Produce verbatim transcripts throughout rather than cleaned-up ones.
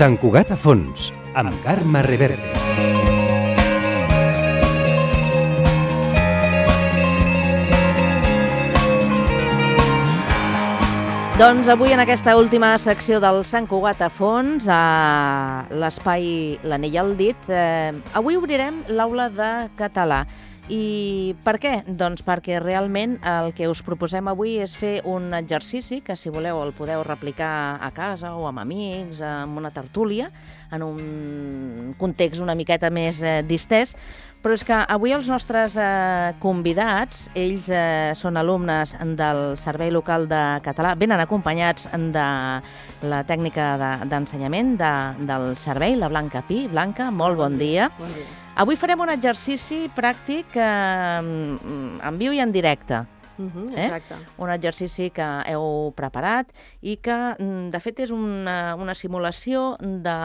Sant Cugat a fons, amb Carme Reverte. Doncs avui en aquesta última secció del Sant Cugat a fons, a l'espai L'Anell al dit, eh, avui obrirem l'aula de català. I per què? Doncs perquè realment el que us proposem avui és fer un exercici que, si voleu, el podeu replicar a casa o amb amics, amb una tertúlia, en un context una miqueta més eh, distès. Però és que avui els nostres eh, convidats, ells eh, són alumnes del Servei Local de Català, venen acompanyats de la tècnica d'ensenyament de, del servei, la Blanca Pi. Blanca, molt bon dia. Bon dia. Avui farem un exercici pràctic eh, en viu i en directe. Uh-huh, eh? exacte. Un exercici que heu preparat i que, de fet, és una, una simulació de,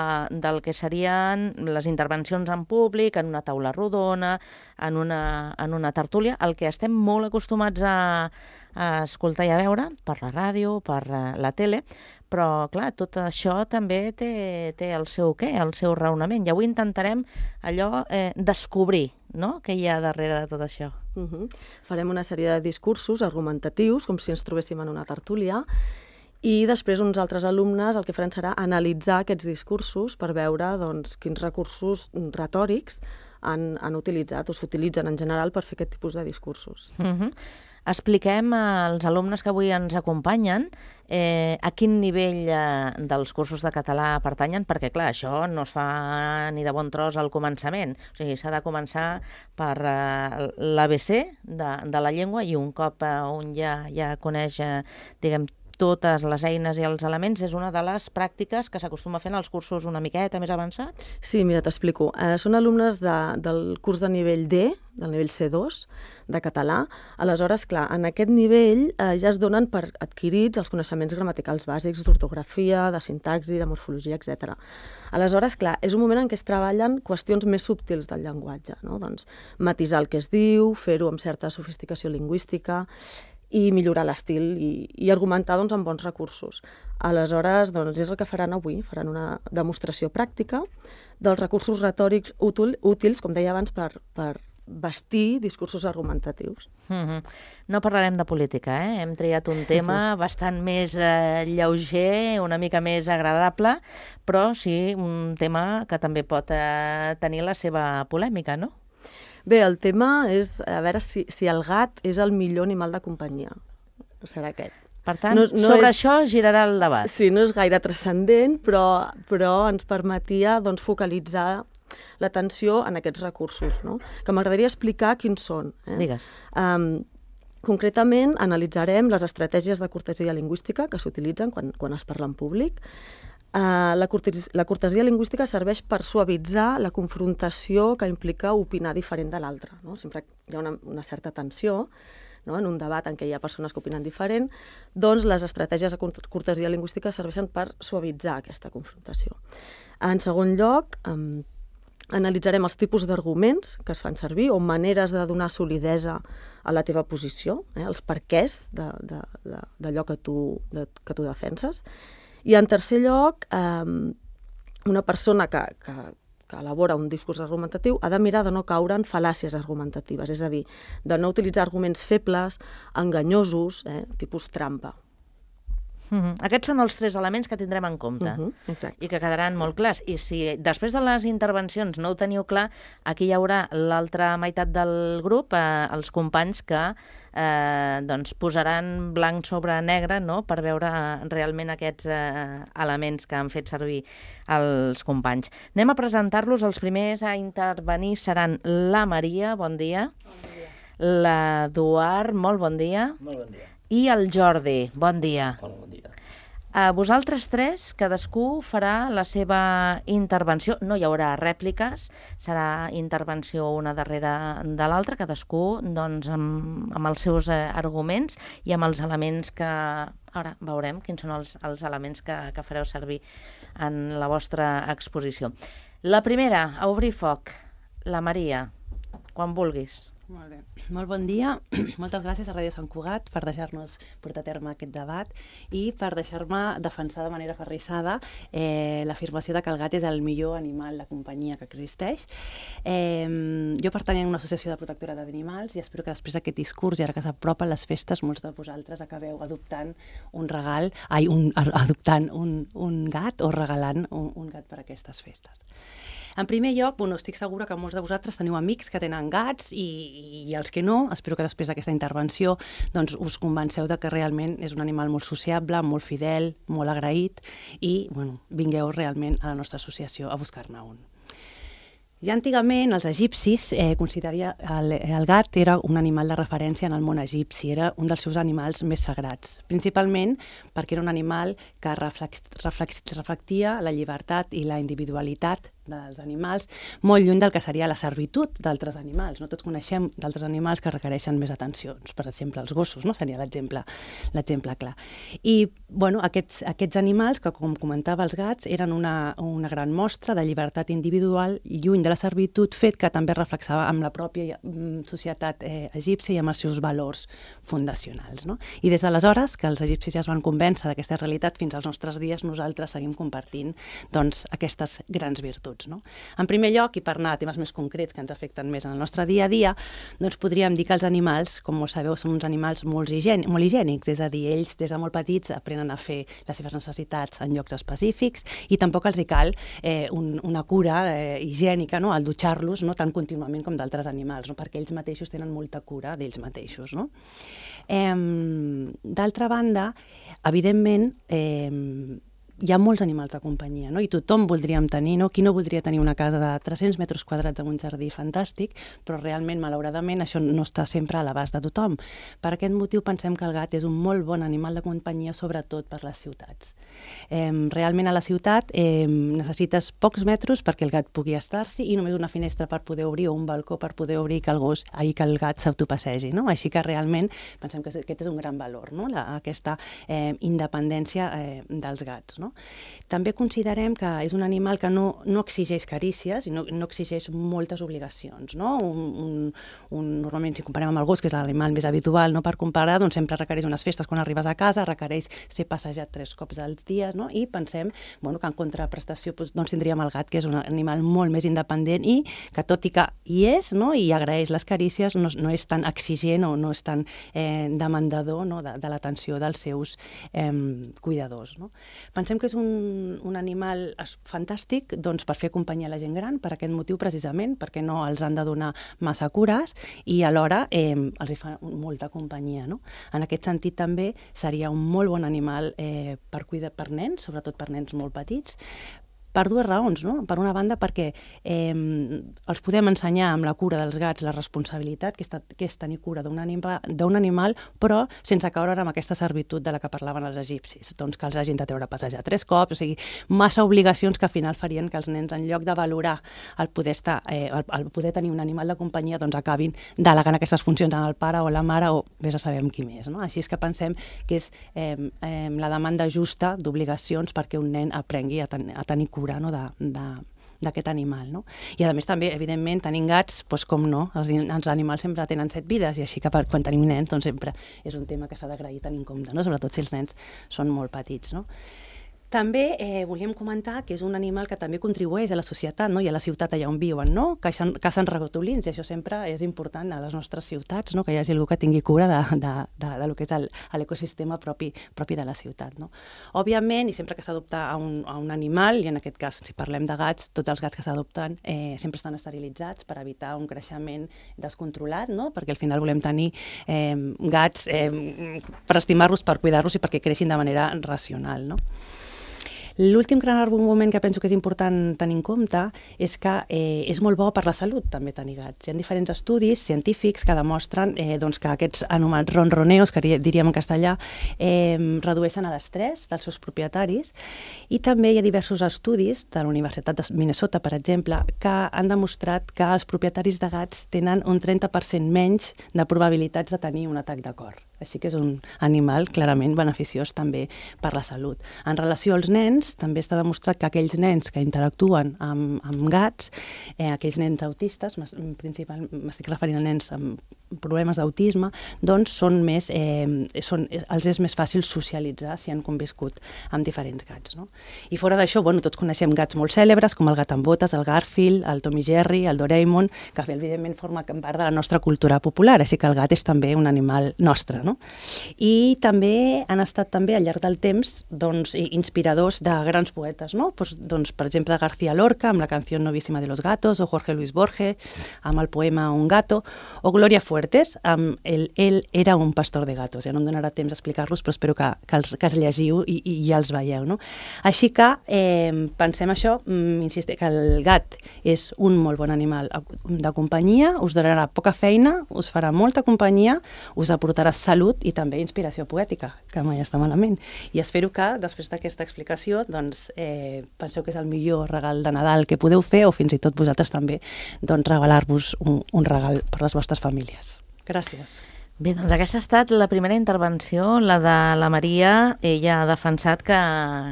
del que serien les intervencions en públic, en una taula rodona, en una, en una tertúlia, el que estem molt acostumats a, a escoltar i a veure per la ràdio, per la tele, però, clar, tot això també té, té el seu què, el seu raonament. I avui intentarem allò eh, descobrir, no?, què hi ha darrere de tot això. Uh-huh. Farem una sèrie de discursos argumentatius, com si ens trobéssim en una tertúlia, i després uns altres alumnes el que faran serà analitzar aquests discursos per veure doncs, quins recursos retòrics han, han utilitzat o s'utilitzen en general per fer aquest tipus de discursos. Uh-huh. Expliquem als alumnes que avui ens acompanyen eh, a quin nivell eh, dels cursos de català pertanyen, perquè, clar, això no es fa ni de bon tros al començament. O sigui, s'ha de començar per eh, l'A B C de, de la llengua i un cop eh, un ja, ja coneix, eh, diguem, totes les eines i els elements, és una de les pràctiques que s'acostuma a fer en els cursos una miqueta més avançats? Sí, mira, t'explico. Eh, són alumnes de, del curs de nivell D, del nivell C dos, de català. Aleshores, clar, en aquest nivell eh, ja es donen per adquirits els coneixements gramaticals bàsics d'ortografia, de sintaxi, de morfologia, etcètera. Aleshores, clar, és un moment en què es treballen qüestions més subtils del llenguatge, no? Doncs matisar el que es diu, fer-ho amb certa sofisticació lingüística, i millorar l'estil i, i argumentar doncs, amb bons recursos. Aleshores, doncs, és el que faran avui. Faran una demostració pràctica dels recursos retòrics útil, útils, com deia abans, per, per bastir discursos argumentatius. Mm-hmm. No parlarem de política, eh? Hem triat un tema bastant més eh, lleuger, una mica més agradable, però sí un tema que també pot eh, tenir la seva polèmica, no? Bé, el tema és a veure si, si el gat és el millor animal de companyia. Serà aquest. Per tant, no, no sobre és, això girarà el debat. Sí, no és gaire transcendent, però, però ens permetia doncs, focalitzar l'atenció en aquests recursos, no? Que m'agradaria explicar quins són. Eh? Digues. Um, concretament, analitzarem les estratègies de cortesia lingüística que s'utilitzen quan, quan es parla en públic. Uh, la, cortesia, la cortesia lingüística serveix per suavitzar la confrontació que implica opinar diferent de l'altre, no? Sempre hi ha una, una certa tensió, no? En un debat en què hi ha persones que opinen diferent, doncs les estratègies de cortesia lingüística serveixen per suavitzar aquesta confrontació. En segon lloc, um, analitzarem els tipus d'arguments que es fan servir o maneres de donar solidesa a la teva posició, eh? Els perquès d'allò que tu, de, que tu defenses. I en tercer lloc, eh, una persona que, que, que elabora un discurs argumentatiu ha de mirar de no caure en fal·làcies argumentatives, és a dir, de no utilitzar arguments febles, enganyosos, eh, tipus trampa. Mm-hmm. Aquests són els tres elements que tindrem en compte uh-huh, i que quedaran molt clars. I si després de les intervencions no ho teniu clar, aquí hi haurà l'altra meitat del grup, eh, els companys que eh, doncs posaran blanc sobre negre, no?, per veure realment aquests eh, elements que han fet servir els companys. Anem a presentar-los. Els primers a intervenir seran la Maria, bon dia. Bon dia. L'Eduard, molt bon dia. Molt bon dia. I el Jordi, bon dia. Hola, bon dia. A vosaltres tres, cadascú farà la seva intervenció. No hi haurà rèpliques, serà intervenció una darrere de l'altra, cadascú doncs, amb, amb els seus eh, arguments i amb els elements que... Ara veurem quins són els, els elements que, que fareu servir en la vostra exposició. La primera, a obrir foc, la Maria, quan vulguis. Molt bé. Molt bon dia. Moltes gràcies a Ràdio Sant Cugat per deixar-nos portar a terme aquest debat i per deixar-me defensar de manera aferrissada eh, l'afirmació de que el gat és el millor animal de companyia que existeix. Eh, jo pertanyia a una associació de protectora d'animals i espero que després d'aquest discurs i ara que s'apropen les festes, molts de vosaltres acabeu adoptant un regal, ai, un, adoptant un, un gat o regalant un, un gat per a aquestes festes. En primer lloc, bueno, estic segura que molts de vosaltres teniu amics que tenen gats i, i els que no, espero que després d'aquesta intervenció doncs, us convenceu de que realment és un animal molt sociable, molt fidel, molt agraït i bueno, vingueu realment a la nostra associació a buscar-ne un. Ja antigament els egipcis eh, consideraria el, el gat era un animal de referència en el món egipci, era un dels seus animals més sagrats, principalment perquè era un animal que reflex, reflex, reflectia la llibertat i la individualitat dels animals, molt lluny del que seria la servitud d'altres animals. No tots coneixem d'altres animals que requereixen més atencions, per exemple els gossos, no? Seria l'exemple l'exemple clar. I bueno, aquests, aquests animals, que com comentava els gats, eren una, una gran mostra de llibertat individual i lluny de la servitud, fet que també reflexava amb la pròpia societat eh, egípcia i amb els seus valors fundacionals. No? I des d'aleshores, que els egipcis ja es van convèncer d'aquesta realitat, fins als nostres dies nosaltres seguim compartint doncs, aquestes grans virtuts. No? En primer lloc, i per anar a temes més concrets que ens afecten més en el nostre dia a dia, doncs podríem dir que els animals, com sabeu, són uns animals molt, higiènics, molt higiènics, és a dir, ells des de molt petits aprenen a fer les seves necessitats en llocs específics i tampoc els hi cal eh, un, una cura eh, higiènica, no? Al dutxar-los no? Tan contínuament com d'altres animals, no? Perquè ells mateixos tenen molta cura d'ells mateixos. No? Eh, d'altra banda, evidentment, eh, hi ha molts animals de companyia, no? I tothom voldríem tenir, no? Qui no voldria tenir una casa de tres-cents metres quadrats amb un jardí fantàstic, però realment, malauradament, això no està sempre a l'abast de tothom. Per aquest motiu pensem que el gat és un molt bon animal de companyia, sobretot per les ciutats. Eh, realment a la ciutat eh, necessites pocs metres perquè el gat pugui estar-s'hi i només una finestra per poder obrir o un balcó per poder obrir que el gos, ahir que el gat s'autopassegi, no? Així que realment pensem que aquest és un gran valor, no? La, aquesta eh, independència eh, dels gats, no? També considerem que és un animal que no, no exigeix carícies i no, no exigeix moltes obligacions. No? Un, un, un, normalment, si comparem amb el gos, que és l'animal més habitual no? Per comparar, doncs sempre requereix unes festes quan arribes a casa, requereix ser passejat tres cops al dia, no? I pensem bueno, que en contraprestació doncs, doncs tindríem el gat, que és un animal molt més independent i que tot i que hi és no? I agraeix les carícies, no, no és tan exigent o no és tan eh, demandador no? de, de l'atenció dels seus eh, cuidadors. No? Pensem que és un, un animal fantàstic doncs, per fer companyia a la gent gran, per aquest motiu precisament, perquè no els han de donar massa cures i alhora eh, els hi fa molta companyia. No? En aquest sentit també seria un molt bon animal eh, per cuidar per nens, sobretot per nens molt petits, per dues raons, no? Per una banda perquè eh, els podem ensenyar amb la cura dels gats la responsabilitat que és, que és tenir cura d'un anima, d'un animal, però sense caure amb aquesta servitud de la que parlaven els egipcis, doncs que els hagin de treure a passejar tres cops, o sigui, massa obligacions que al final farien que els nens, en lloc de valorar el poder, estar, eh, el, el poder tenir un animal de companyia, doncs acabin delegant aquestes funcions en el pare o la mare o vés a saber amb qui més. No? Així és que pensem que és eh, eh, la demanda justa d'obligacions perquè un nen aprengui a, ten a tenir cura no? de, de, d'aquest animal. No? I a més també, evidentment, tenint gats, doncs com no, els, els animals sempre tenen set vides i així que per, quan tenim nens doncs sempre és un tema que s'ha d'agrair tenir en compte, no? Sobretot si els nens són molt petits. No? També eh, volíem comentar que és un animal que també contribueix a la societat no? I a la ciutat allà on viuen, no? Cacen, cacen ratolins i això sempre és important a les nostres ciutats, no? Que hi hagi algú que tingui cura de, de, de, de lo que és l'ecosistema propi, propi de la ciutat. No? Òbviament, i sempre que s'adopta a, un, a un animal, i en aquest cas, si parlem de gats, tots els gats que s'adopten eh, sempre estan esterilitzats per evitar un creixement descontrolat, no? Perquè al final volem tenir eh, gats eh, per estimar-los, per cuidar-los i perquè creixin de manera racional, no? L'últim gran argument que penso que és important tenir en compte és que eh, és molt bo per la salut també tenir gats. Hi ha diferents estudis científics que demostren eh, doncs, que aquests anomenats ronroneos, que diríem en castellà, eh, redueixen l'estrès dels seus propietaris i també hi ha diversos estudis de la Universitat de Minnesota, per exemple, que han demostrat que els propietaris de gats tenen un trenta per cent menys de probabilitats de tenir un atac de cor. Així que és un animal clarament beneficiós també per la salut. En relació als nens, també està demostrat que aquells nens que interactuen amb, amb gats, eh, aquells nens autistes, principalment m'estic referint a nens amb problemes d'autisme, doncs són més, eh, són, els és més fàcil socialitzar si han conviscut amb diferents gats. No? I fora d'això, bueno, tots coneixem gats molt cèlebres, com el gat amb botes, el Garfield, el Tom i Jerry, el Doraemon, que evidentment forma part de la nostra cultura popular, així que el gat és també un animal nostre. No? I també han estat també al llarg del temps doncs, inspiradors de grans poetes, no? Pues, doncs, per exemple, García Lorca amb la canció Novísima de los gatos, o Jorge Luis Borges amb el poema Un gato, o Gloria Fuertes amb el Él era un pastor de gatos. Ja no em donarà temps a explicar-los, però espero que, que, els, que els llegiu i, i ja els veieu. No? Així que eh, pensem això, insistir que el gat és un molt bon animal de companyia, us donarà poca feina, us farà molta companyia, us aportarà salut i també inspiració poètica, que mai està malament. I espero que, després d'aquesta explicació, doncs, eh, penseu que és el millor regal de Nadal que podeu fer, o fins i tot vosaltres també, doncs, regalar-vos un, un regal per les vostres famílies. Gràcies. Bé, doncs aquesta ha estat la primera intervenció, la de la Maria. Ella ha defensat que,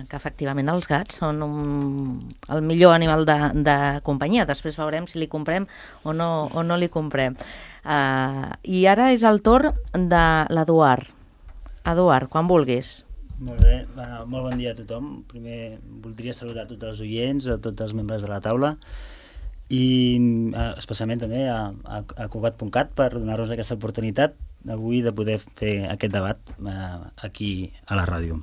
que efectivament els gats són un, el millor animal de, de companyia. Després veurem si li comprem o no, o no li comprem. Uh, I ara és el torn de l'Eduard. Eduard, quan vulguis. Molt bé, uh, molt bon dia a tothom. Primer voldria saludar a tots els oients, a tots els membres de la taula i uh, especialment també a, a, a Cugat punt cat per donar-nos aquesta oportunitat avui de poder fer aquest debat uh, aquí a la ràdio.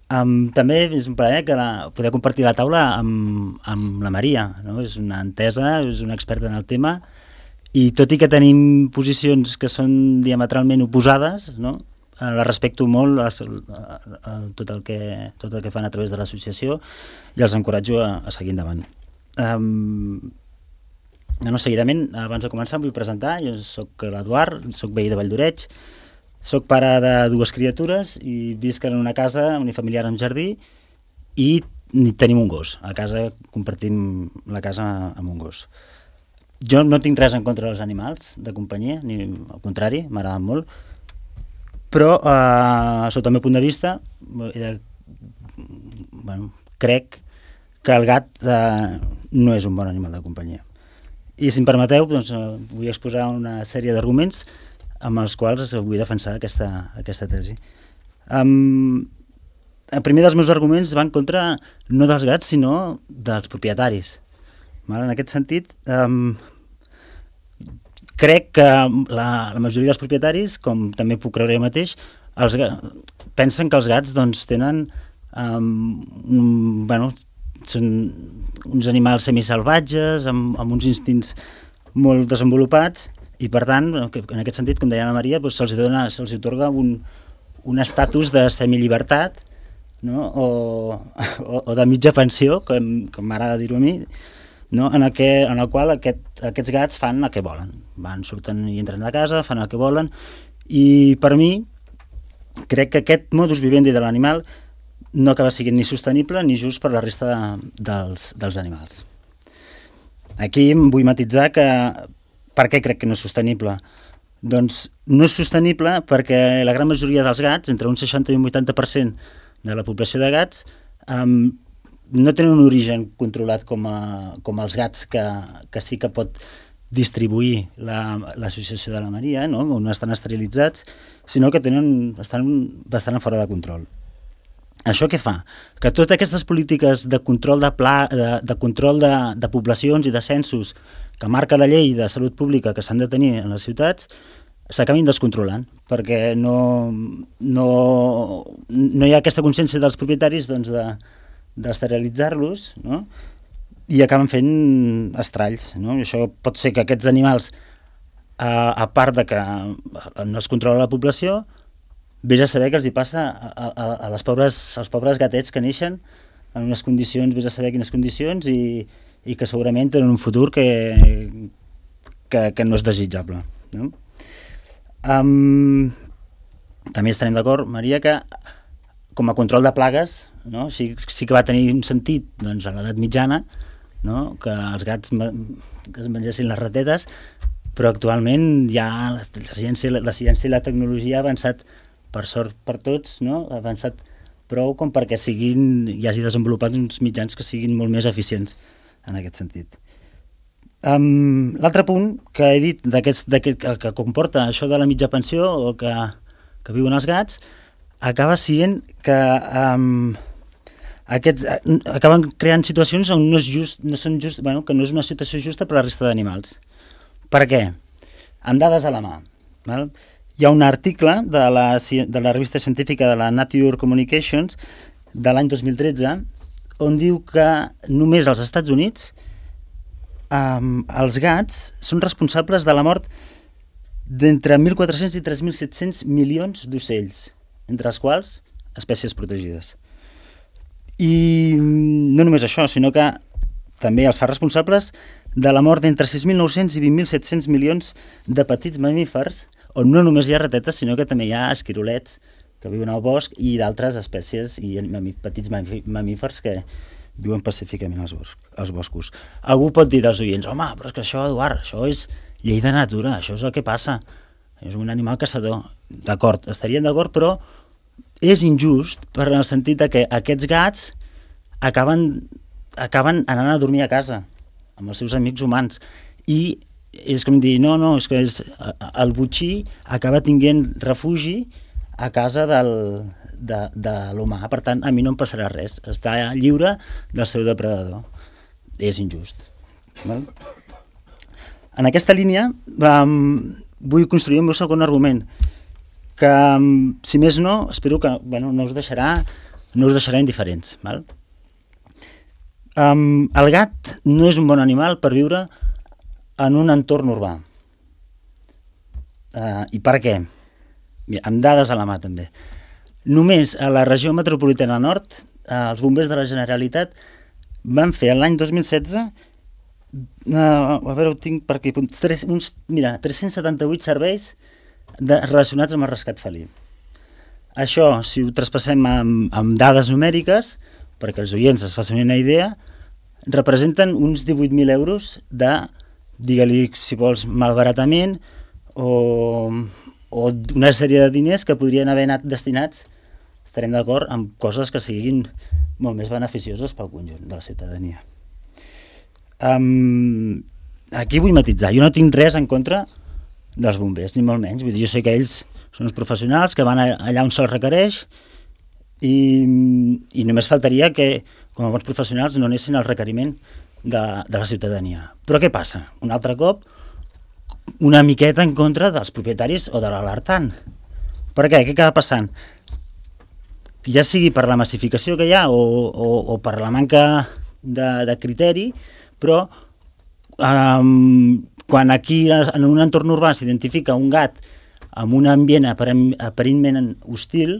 Um, també és un plaer que la, poder compartir la taula amb, amb la Maria, no? És una entesa, és una experta en el tema i tot i que tenim posicions que són diametralment oposades, no? La respecto molt a, a, a tot, el que, tot el que fan a través de l'associació i els encoratjo a, a seguir endavant. Um, no, seguidament, abans de començar, em vull presentar. Jo soc l'Eduard, soc veí de Valldoreix, soc pare de dues criatures i visc en una casa unifamiliar amb jardí i tenim un gos. A casa compartim la casa amb un gos. Jo no tinc res en contra dels animals de companyia, ni al contrari, m'agraden molt, però eh, sota el meu punt de vista eh, bueno, crec que el gat eh, no és un bon animal de companyia. I si em permeteu, doncs, eh, vull exposar una sèrie d'arguments amb els quals vull defensar aquesta, aquesta tesi. Um, el primer dels meus arguments va en contra no dels gats, sinó dels propietaris. En aquest sentit, um, crec que la, la majoria dels propietaris, com també puc creure jo mateix, els, pensen que els gats doncs, tenen um, un, bueno, són uns animals semisalvatges, amb, amb uns instints molt desenvolupats, i per tant, en aquest sentit, com deia la Maria, doncs, se'ls dona, se'ls atorga un, un estatus de semillibertat, no? o, o, o de mitja pensió, com, com m'agrada dir-ho a mi, no? en, el que, en el qual aquest, aquests gats fan el que volen. Van, surten i entren a casa, fan el que volen, i per mi crec que aquest modus vivendi de l'animal no acaba sent ni sostenible ni just per la resta de, dels, dels animals. Aquí em vull matitzar que per què crec que no és sostenible? Doncs no és sostenible perquè la gran majoria dels gats, entre un seixanta i un vuitanta per cent de la població de gats, um, no tenen un origen controlat com, a, com els gats que, que sí que pot distribuir l'associació la, de la Maria, no? On estan esterilitzats, sinó que tenen, estan bastant fora de control. Això què fa? Que totes aquestes polítiques de control de, pla, de, de, control de, de poblacions i de censos que marca la llei de salut pública que s'han de tenir en les ciutats s'acabin descontrolant, perquè no, no, no hi ha aquesta consciència dels propietaris doncs, de d'esterilitzar-los, no? I acaben fent estralls, no? I això pot ser que aquests animals, a, a part de que no es controla la població, vés a saber què els hi passa a, a, a les pobres, als pobres gatets que neixen en unes condicions, vés a saber quines condicions, i, i que segurament tenen un futur que, que, que no és desitjable, no? Um, també estarem d'acord, Maria, que com a control de plagues, no? sí, sí que va tenir un sentit doncs, a l'edat mitjana, no? Que els gats es mengessin les ratetes, però actualment ja la, la, ciència, la ciència i la tecnologia ha avançat, per sort per tots, no? Ha avançat prou com perquè siguin, hi hagi desenvolupat uns mitjans que siguin molt més eficients en aquest sentit. Um, L'altre punt que he dit d'aquest, d'aquest, que, que comporta això de la mitja pensió o que, que viuen els gats, acaba sent que um, aquests, uh, acaben creant situacions on no, és just, no són just, bueno, que no és una situació justa per a la resta d'animals. Per què? Amb dades a la mà. Val? Hi ha un article de la, de la revista científica de la Nature Communications de l'any dos mil tretze on diu que només als Estats Units um, els gats són responsables de la mort d'entre mil quatre-cents i tres mil set-cents milions d'ocells, entre els quals espècies protegides. I no només això, sinó que també els fa responsables de la mort d'entre sis mil nou-cents i vint mil set-cents milions de petits mamífers, on no només hi ha ratetes, sinó que també hi ha esquirolets que viuen al bosc i d'altres espècies i petits mamífers que viuen pacíficament als, bosc, als boscos. Algú pot dir dels oients, home, però és que això, Eduard, això és llei de natura, això és el que passa, és un animal caçador. D'acord, estaríem d'acord, però és injust per el sentit de que aquests gats acaben, acaben anant a dormir a casa amb els seus amics humans i és com dir, no, no, és que és, el botxí acaba tinguent refugi a casa del, de, de l'humà, per tant a mi no em passarà res, està lliure del seu depredador, és injust. Val? En aquesta línia um, vull construir el meu segon argument, que um, si més no, espero que bueno, no us deixarà no us deixarà indiferents. Val? Um, el gat no és un bon animal per viure en un entorn urbà. Uh, I per què? Mira, amb dades a la mà també. Només a la regió metropolitana nord, uh, els bombers de la Generalitat van fer l'any dos mil setze uh, a veure, ho tinc per aquí, tres, uns, mira, tres-cents setanta-vuit serveis de, relacionats amb el rescat felí. Això, si ho traspassem amb, amb dades numèriques, perquè els oients es facin una idea, representen uns divuit mil euros de, digue-li, si vols, malbaratament o, o una sèrie de diners que podrien haver anat destinats, estarem d'acord, amb coses que siguin molt més beneficioses pel conjunt de la ciutadania. Um, aquí vull matitzar, jo no tinc res en contra dels bombers, ni molt menys, vull dir, jo sé que ells són uns professionals que van allà on se'ls requereix i, i només faltaria que, com a bons professionals, no anessin al requeriment de, de la ciutadania. Però què passa? Un altre cop, una miqueta en contra dels propietaris o de l'alertant. Per què? Què acaba passant? Ja sigui per la massificació que hi ha o, o, o per la manca de, de criteri, però um, quan aquí en un entorn urbà s'identifica un gat amb un ambient aparentment hostil,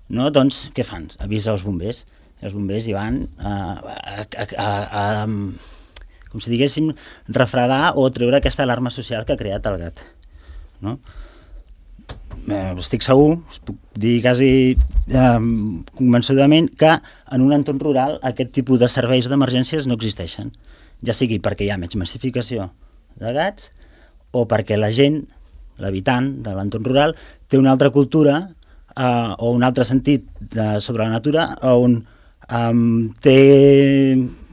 no? Doncs què fan? Avisa els bombers. Els bombers hi van a, a, a, a, a com si diguéssim, refredar o treure aquesta alarma social que ha creat el gat. No? Eh, estic segur, us puc dir quasi eh, convençudament, que en un entorn rural aquest tipus de serveis o d'emergències no existeixen. Ja sigui perquè hi ha menys massificació de gats o perquè la gent, l'habitant de l'entorn rural, té una altra cultura eh, o un altre sentit de, sobre la natura on eh, té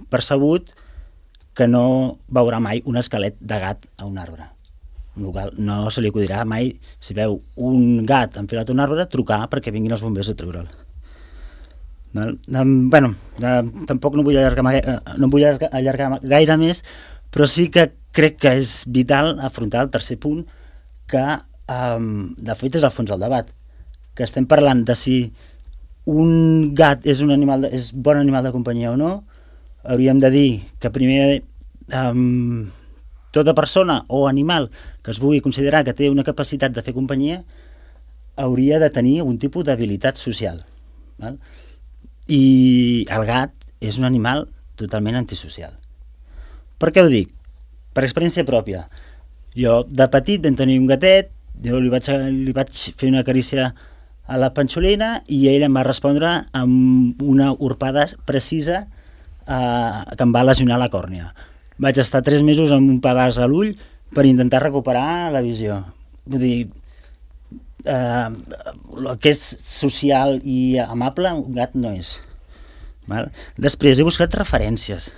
percebut que no veurà mai un esquelet de gat a un arbre. No se li acudirà mai, si veu un gat enfilat a un arbre, trucar perquè vinguin els bombers a treure'l. Bueno, tampoc no vull allargar, no vull allargar gaire més, però sí que crec que és vital afrontar el tercer punt, que de fet és al fons del debat, que estem parlant de si un gat és un animal, és bon animal de companyia o no. Hauríem de dir que primer um, tota persona o animal que es vulgui considerar que té una capacitat de fer companyia hauria de tenir algun tipus d'habilitat social. Val? I el gat és un animal totalment antisocial. Per què ho dic? Per experiència pròpia. Jo de petit vam tenir un gatet, jo li vaig, li vaig fer una carícia a la panxolina i ell em va respondre amb una urpada precisa eh, que em va lesionar la còrnia. Vaig estar tres mesos amb un pedaç a l'ull per intentar recuperar la visió. Vull dir, eh, el que és social i amable, un gat no és. Val? Després he buscat referències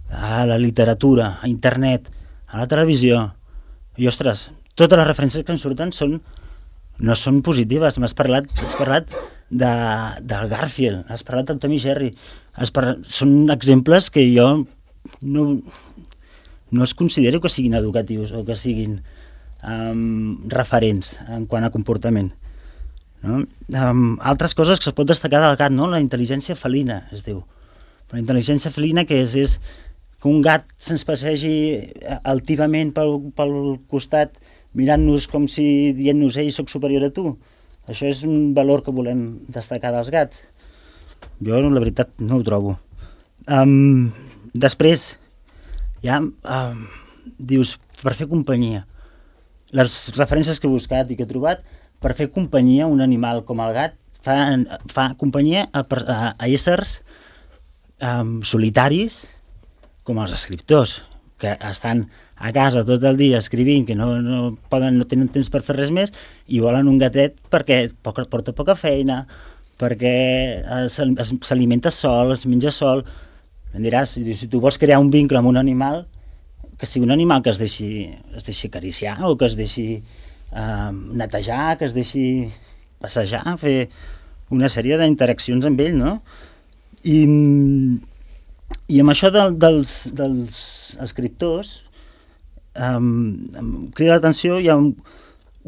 a la literatura, a internet, a la televisió, i ostres, totes les referències que em surten són, no són positives. M'has parlat, has parlat de, del Garfield, has parlat del Tom i Jerry, has parlat, són exemples que jo no, no es considero que siguin educatius o que siguin um, referents en quant a comportament. No? Um, altres coses que es pot destacar del gat, no? La intel·ligència felina, es diu. La intel·ligència felina que és, és que un gat se'ns passegi altivament pel, pel costat mirant-nos com si dient-nos ei, soc superior a tu. Això és un valor que volem destacar dels gats. Jo, la veritat, no ho trobo. Um, després, ja, um, dius, per fer companyia. Les referències que he buscat i que he trobat, per fer companyia a un animal com el gat, fa, fa companyia a, a, a éssers um, solitaris, com els escriptors, que estan a casa tot el dia escrivint, que no, no, poden, no tenen temps per fer res més, i volen un gatet perquè poca, porta poca feina, perquè s'alimenta sol, es menja sol. Em diràs, si tu vols crear un vincle amb un animal, que sigui un animal que es deixi, es deixi acariciar, o que es deixi eh, netejar, que es deixi passejar, fer una sèrie d'interaccions amb ell, no? I... I amb això del, dels, dels escriptors, um, em crida l'atenció, hi ha un,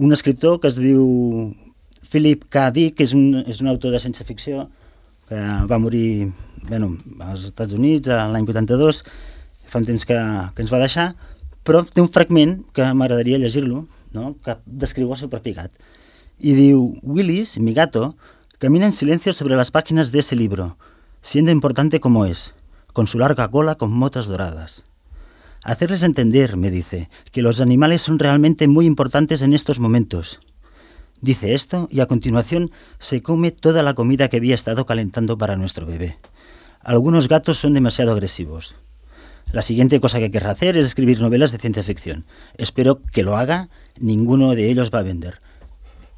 un escriptor que es diu Philip K. Dick, que és un, és un autor de ciència-ficció, que va morir bueno, als Estats Units l'any vuitanta-dos, fa un temps que, que ens va deixar, però té un fragment que m'agradaria llegir-lo, no? Que descriu el seu propi gat. Y diu, Willis, mi gato, camina en silencio sobre las páginas de ese libro, siendo importante como es, con su larga cola con motas doradas. Hacerles entender, me dice, que los animales son realmente muy importantes en estos momentos. Dice esto y a continuación se come toda la comida que había estado calentando para nuestro bebé. Algunos gatos son demasiado agresivos. La siguiente cosa que querrá hacer es escribir novelas de ciencia ficción. Espero que lo haga, ninguno de ellos va a vender.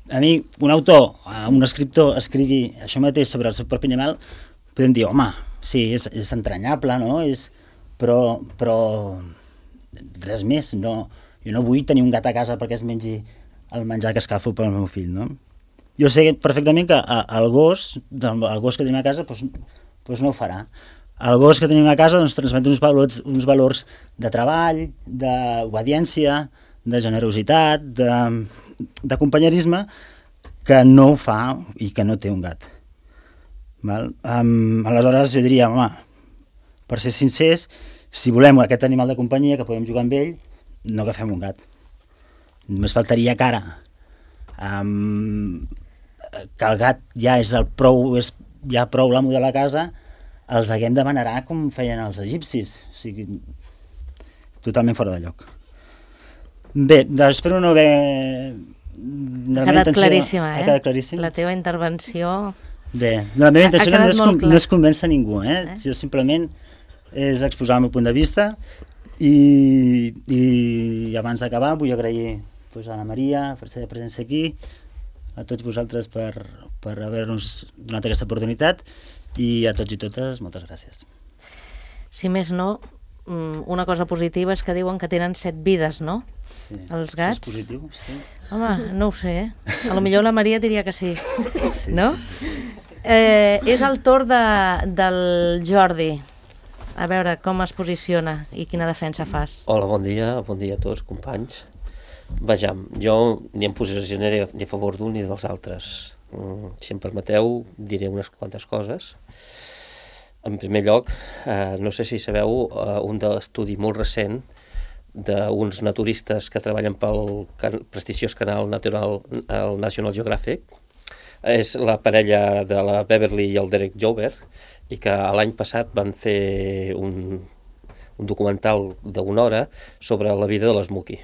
A mi, un autor, un escriptor, escrigui això mateix sobre el seu propi animal, podem dir, home, sí, és, és entranyable, no? És, però, però res més. No, jo no vull tenir un gat a casa perquè es mengi el menjar que escalfo pel meu fill, no? Jo sé perfectament que el gos, el gos que tenim a casa, doncs, doncs no ho farà. El gos que tenim a casa doncs, transmet uns valors, uns valors de treball, d'obediència, de generositat, de, de companyerisme, que no ho fa i que no té un gat. Val? Um, aleshores jo diria, home, per ser sincers, si volem aquest animal de companyia que podem jugar amb ell, no agafem un gat. Només faltaria que ara, um, que el gat ja és el prou, és ja prou l'amo de la casa, els haguem de venerar com feien els egipcis. O sigui, totalment fora de lloc. Bé, espero no haver... Ha quedat claríssima, eh? Ha quedat claríssim. La teva intervenció... Bé, la meva intenció no és, com, no és convèncer ningú, eh? eh? Jo simplement és exposar el meu punt de vista i, i abans d'acabar vull agrair pues, a la Maria per la seva presència aquí, a tots vosaltres per, per haver-nos donat aquesta oportunitat i a tots i totes, moltes gràcies. Si més no, una cosa positiva és que diuen que tenen set vides, no? Sí. Els gats. És positiu, sí. Home, no ho sé, eh? A lo millor la Maria diria que sí, sí no? Sí, sí. Eh, és el torn de, del Jordi. A veure com es posiciona i quina defensa fas. Hola, bon dia, bon dia a tots, companys. Vejam, jo ni em posicionaré ni a favor d'un ni dels altres. Si em permeteu, diré unes quantes coses. En primer lloc, eh, no sé si sabeu eh, un estudi molt recent d'uns naturistes que treballen pel can prestigiós canal natural, el National Geographic. És la parella de la Beverly i el Derek Jover, i que l'any passat van fer un, un documental d'una hora sobre la vida de l'Smokey.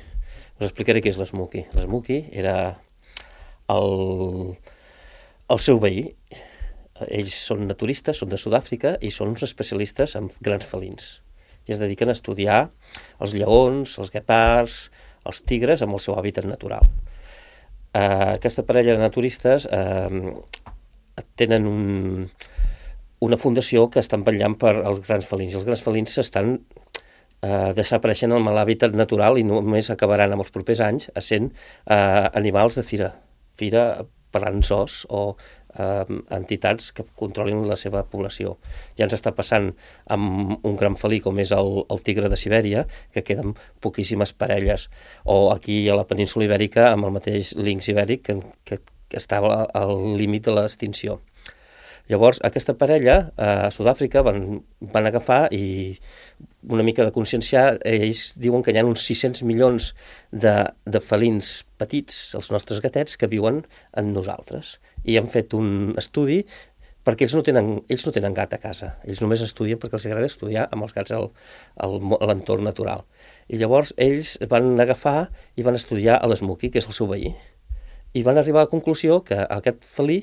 Us explicaré què és l'Smokey. L'Smokey era el, el seu veí. Ells són naturistes, són de Sud-àfrica i són uns especialistes en grans felins. i es dediquen a estudiar els lleons, els guepards, els tigres amb el seu hàbitat natural. Uh, aquesta parella de naturistes uh, tenen un, una fundació que estan vetllant per als grans felins. Els grans felins s'estan uh, desapareixent amb l'hàbitat natural i només acabaran amb els propers anys essent uh, animals de fira. Fira parlant zoos o uh, entitats que controlin la seva població. Ja ens està passant amb un gran felí com és el, el tigre de Sibèria, que queden poquíssimes parelles, o aquí a la península ibèrica amb el mateix linx ibèric que, que, que estava al límit de l'extinció. Llavors, aquesta parella a Sud-àfrica van, van agafar i una mica de conscienciar, ells diuen que hi ha uns sis-cents milions de, de felins petits, els nostres gatets, que viuen en nosaltres. I han fet un estudi perquè ells no tenen, ells no tenen gat a casa, ells només estudien perquè els agrada estudiar amb els gats al, al, a l'entorn natural. I llavors ells van agafar i van estudiar a l'Smokey, que és el seu veí, i van arribar a la conclusió que aquest felí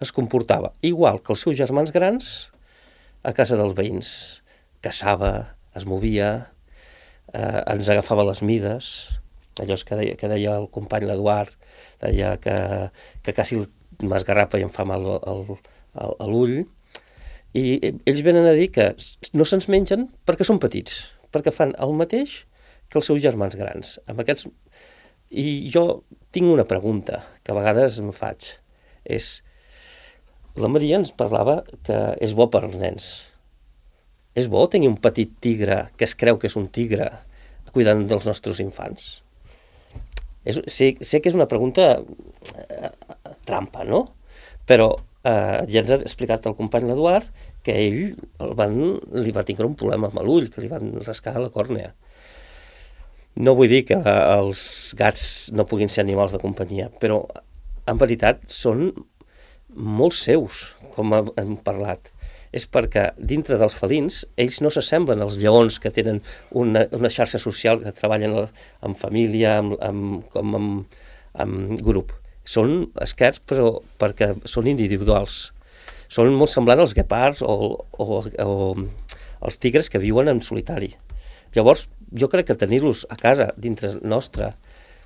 es comportava igual que els seus germans grans a casa dels veïns. Caçava, es movia, eh, ens agafava les mides, allò que deia, que deia el company l'Eduard, deia que, que quasi m'esgarrapa i em fa mal el, el, l'ull. I ells venen a dir que no se'ns mengen perquè són petits, perquè fan el mateix que els seus germans grans. Amb aquests... I jo tinc una pregunta que a vegades em faig, és... La Maria ens parlava que és bo per als nens. És bo tenir un petit tigre que es creu que és un tigre cuidant dels nostres infants? És, sé, sé que és una pregunta eh, trampa, no? Però eh, ja ens ha explicat el company l'Eduard que ell el van, li va tindre un problema amb l'ull, que li van rascar la còrnea. No vull dir que els gats no puguin ser animals de companyia, però en veritat són molts seus, com hem parlat. És perquè dintre dels felins ells no s'assemblen als lleons que tenen una, una xarxa social, que treballen en família, amb, amb, com amb, amb grup. Són esquerds, però perquè són individuals. Són molt semblants als guepards o, o, o els tigres que viuen en solitari. Llavors, jo crec que tenir-los a casa, dintre nostre,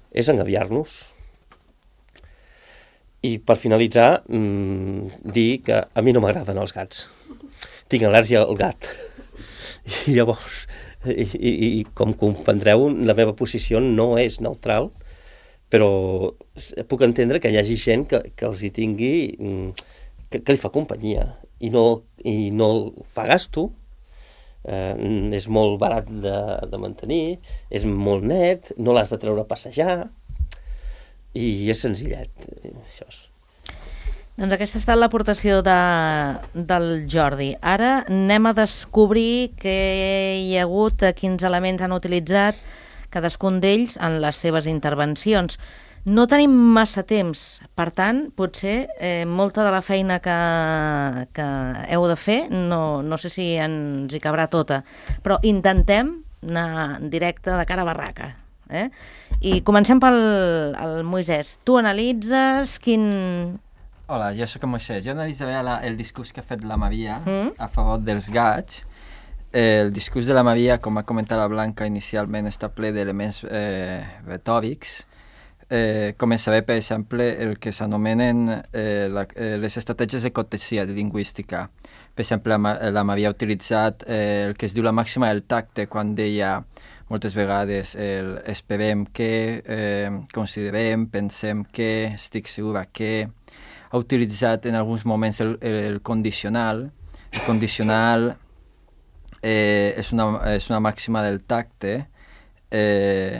és engabiar-nos. I per finalitzar, mmm, dir que a mi no m'agraden els gats. Tinc al·lèrgia al gat. I llavors, i, i, i com comprendreu, la meva posició no és neutral, però puc entendre que hi hagi gent que, que els hi tingui, que, que li fa companyia i no, i no fa gasto, eh, és molt barat de, de mantenir, és molt net, no l'has de treure a passejar, i és senzillet, això és. Doncs aquesta ha estat l'aportació de, del Jordi. Ara anem a descobrir què hi ha hagut, quins elements han utilitzat cadascun d'ells en les seves intervencions. No tenim massa temps, per tant, potser eh, molta de la feina que, que heu de fer, no, no sé si ens hi cabrà tota, però intentem anar directe de cara a barraca. Eh? I comencem pel el Moisès. Tu analitzes quin... Hola, jo sóc en Moisès. Jo analitzaré la, el discurs que ha fet la Maria mm? a favor dels gats. Eh, el discurs de la Maria, com ha comentat la Blanca inicialment, està ple d'elements eh, retòrics. Eh, començaré, per exemple, el que s'anomenen eh, la, eh, les estratègies de cortesia, de lingüística. Per exemple, la, la Maria ha utilitzat eh, el que es diu la màxima del tacte, quan deia moltes vegades el esperem que, eh, considerem, pensem que, estic segura que. Ha utilitzat en alguns moments el, el, el condicional. El condicional eh, és, una, és una màxima del tacte. Eh,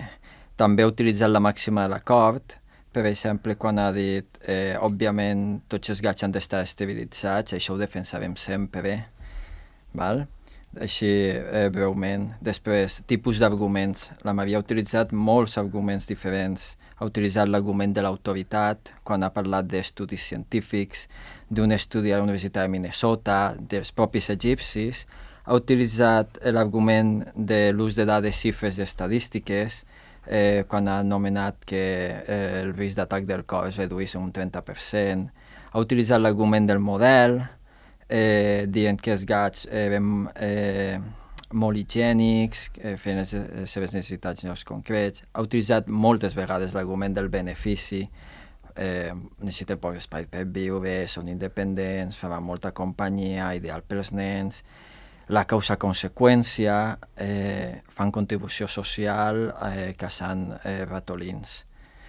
també ha utilitzat la màxima de l'acord. Per exemple, quan ha dit, eh, òbviament, tots els gats han d'estar estabilitzats, això ho defensarem sempre, val? Així, eh, breument. Després, tipus d'arguments. La Maria ha utilitzat molts arguments diferents. Ha utilitzat l'argument de l'autoritat, quan ha parlat d'estudis científics, d'un estudi a la Universitat de Minnesota, dels propis egipcis. Ha utilitzat l'argument de l'ús de dades, xifres i estadístiques, eh, quan ha anomenat que eh, el risc d'atac del cor es reduís en un trenta per cent. Ha utilitzat l'argument del model, Eh, dient que els gats eren eh, molt higiènics, eh, fent les, les seves necessitats en llocs concrets. Ha utilitzat moltes vegades l'argument del benefici, eh, necessiten poc espai per viure, són independents, faran molta companyia, ideal pels nens, la causa-conseqüència, eh, fan contribució social eh, caçant eh, ratolins.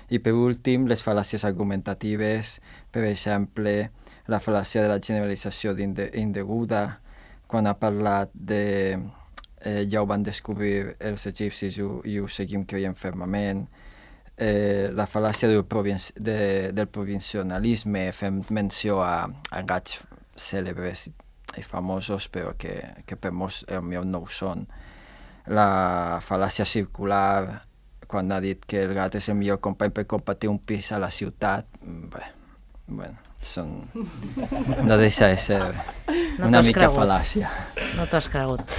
I per últim, les fal·làcies argumentatives, per exemple, la fal·làcia de la generalització inde indeguda, quan ha parlat de eh, ja ho van descobrir els egipcis i ho, i ho seguim creient fermament, eh, la fal·làcia del, provinci de, del provincialisme, fem menció a, a gats cèlebres i famosos, però que, que per molts potser no ho són. La fal·làcia circular, quan ha dit que el gat és el millor company per compartir un pis a la ciutat, bé, bueno, són... no deixa de ser no una mica cregut. fal·làcia. No t'ho has cregut.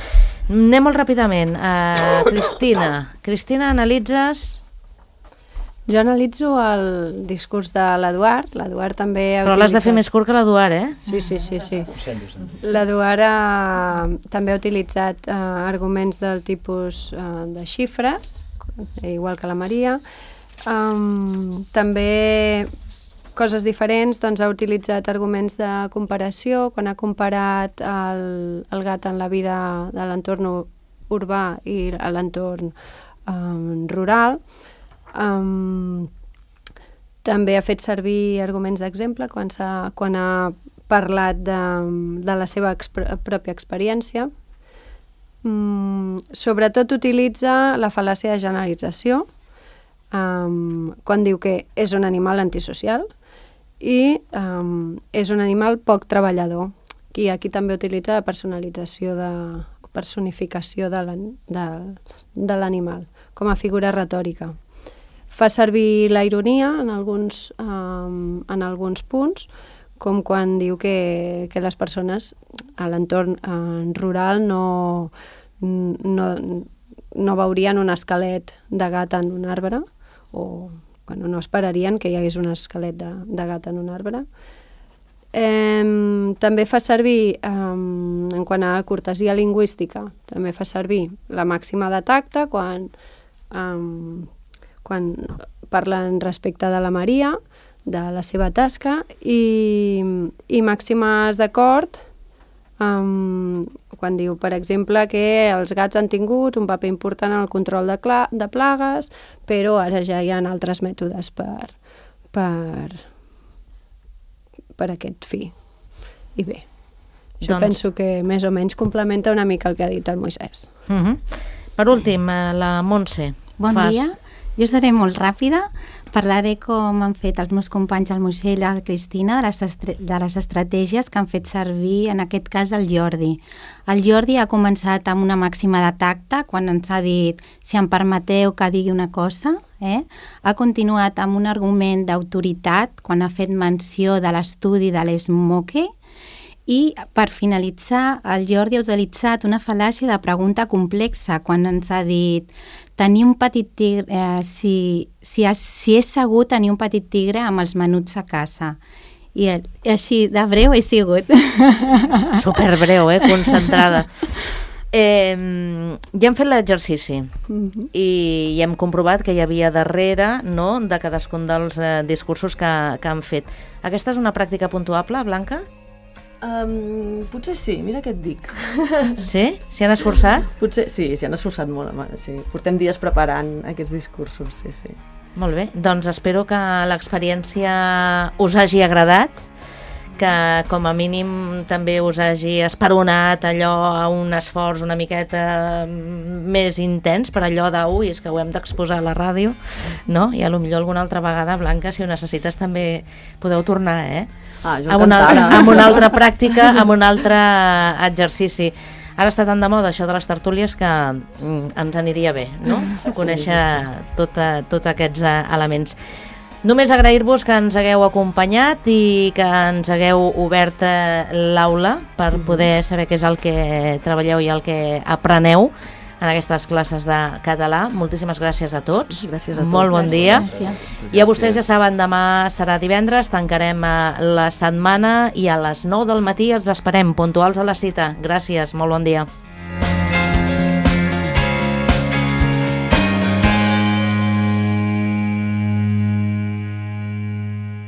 Anem molt ràpidament. Uh, Cristina. Cristina, analitzes... Jo analitzo el discurs de l'Eduard. L'Eduard també ha Però l'has de fer utilitzat... més curt que l'Eduard, eh? Sí, sí, sí. sí. L'Eduard ha... també ha utilitzat uh, arguments del tipus uh, de xifres, igual que la Maria. Um, també coses diferents, doncs ha utilitzat arguments de comparació, quan ha comparat el, el gat en la vida de l'entorn urbà i a l'entorn um, rural. Um, també ha fet servir arguments d'exemple quan, quan ha parlat de, de la seva exp pròpia experiència. Um, sobretot utilitza la fal·làcia de generalització, um, quan diu que és un animal antisocial i um, és un animal poc treballador. I aquí també utilitza la personalització de personificació de l'animal com a figura retòrica. Fa servir la ironia en alguns, um, en alguns punts, com quan diu que, que les persones a l'entorn uh, rural no, no, no veurien un esquelet de gat en un arbre, o bueno, no esperarien que hi hagués un esquelet de, de gat en un arbre. Eh, també fa servir, eh, en quant a cortesia lingüística, també fa servir la màxima de tacte quan, eh, quan parlen respecte de la Maria, de la seva tasca, i, i màximes d'acord um, quan diu, per exemple, que els gats han tingut un paper important en el control de, de plagues, però ara ja hi ha altres mètodes per, per, per aquest fi. I bé, jo doncs... penso que més o menys complementa una mica el que ha dit el Moisès. Uh -huh. Per últim, la Montse. Bon fas... dia. Jo seré molt ràpida, parlaré com han fet els meus companys, el Moisè i la Cristina, de les, de les estratègies que han fet servir, en aquest cas, el Jordi. El Jordi ha començat amb una màxima de tacte, quan ens ha dit, si em permeteu que digui una cosa, eh? Ha continuat amb un argument d'autoritat, quan ha fet menció de l'estudi de l'Smoke, i per finalitzar, el Jordi ha utilitzat una fal·làcia de pregunta complexa, quan ens ha dit tenir un petit tigre, eh, si, si, has, si és segur tenir un petit tigre amb els menuts a casa. I, i així, de breu he sigut. Superbreu, eh? Concentrada. Eh, ja hem fet l'exercici uh-huh. i, i hem comprovat que hi havia darrere, no?, de cadascun dels eh, discursos que, que han fet. Aquesta és una pràctica puntuable, Blanca? Um, potser sí, mira què et dic. Sí? S'hi han esforçat? Potser sí, s'hi han esforçat molt. Sí. Portem dies preparant aquests discursos, sí, sí. Molt bé, doncs espero que l'experiència us hagi agradat, que com a mínim també us hagi esperonat allò a un esforç una miqueta més intens per allò de, ui, és que ho hem d'exposar a la ràdio, no? I a lo millor alguna altra vegada, Blanca, si ho necessites també podeu tornar, eh? Ah, jo amb, una altra, amb una altra pràctica, amb un altre exercici. Ara està tan de moda això de les tertúlies que mm, ens aniria bé, no? Conèixer tota, tots aquests elements. Només agrair-vos que ens hagueu acompanyat i que ens hagueu obert l'aula per poder saber què és el que treballeu i el que apreneu en aquestes classes de català. Moltíssimes gràcies a tots. Gràcies a tots. Molt bon dia. Gràcies. I a vostès ja saben, demà serà divendres, tancarem la setmana i a les nou del matí els esperem, puntuals a la cita. Gràcies, molt bon dia.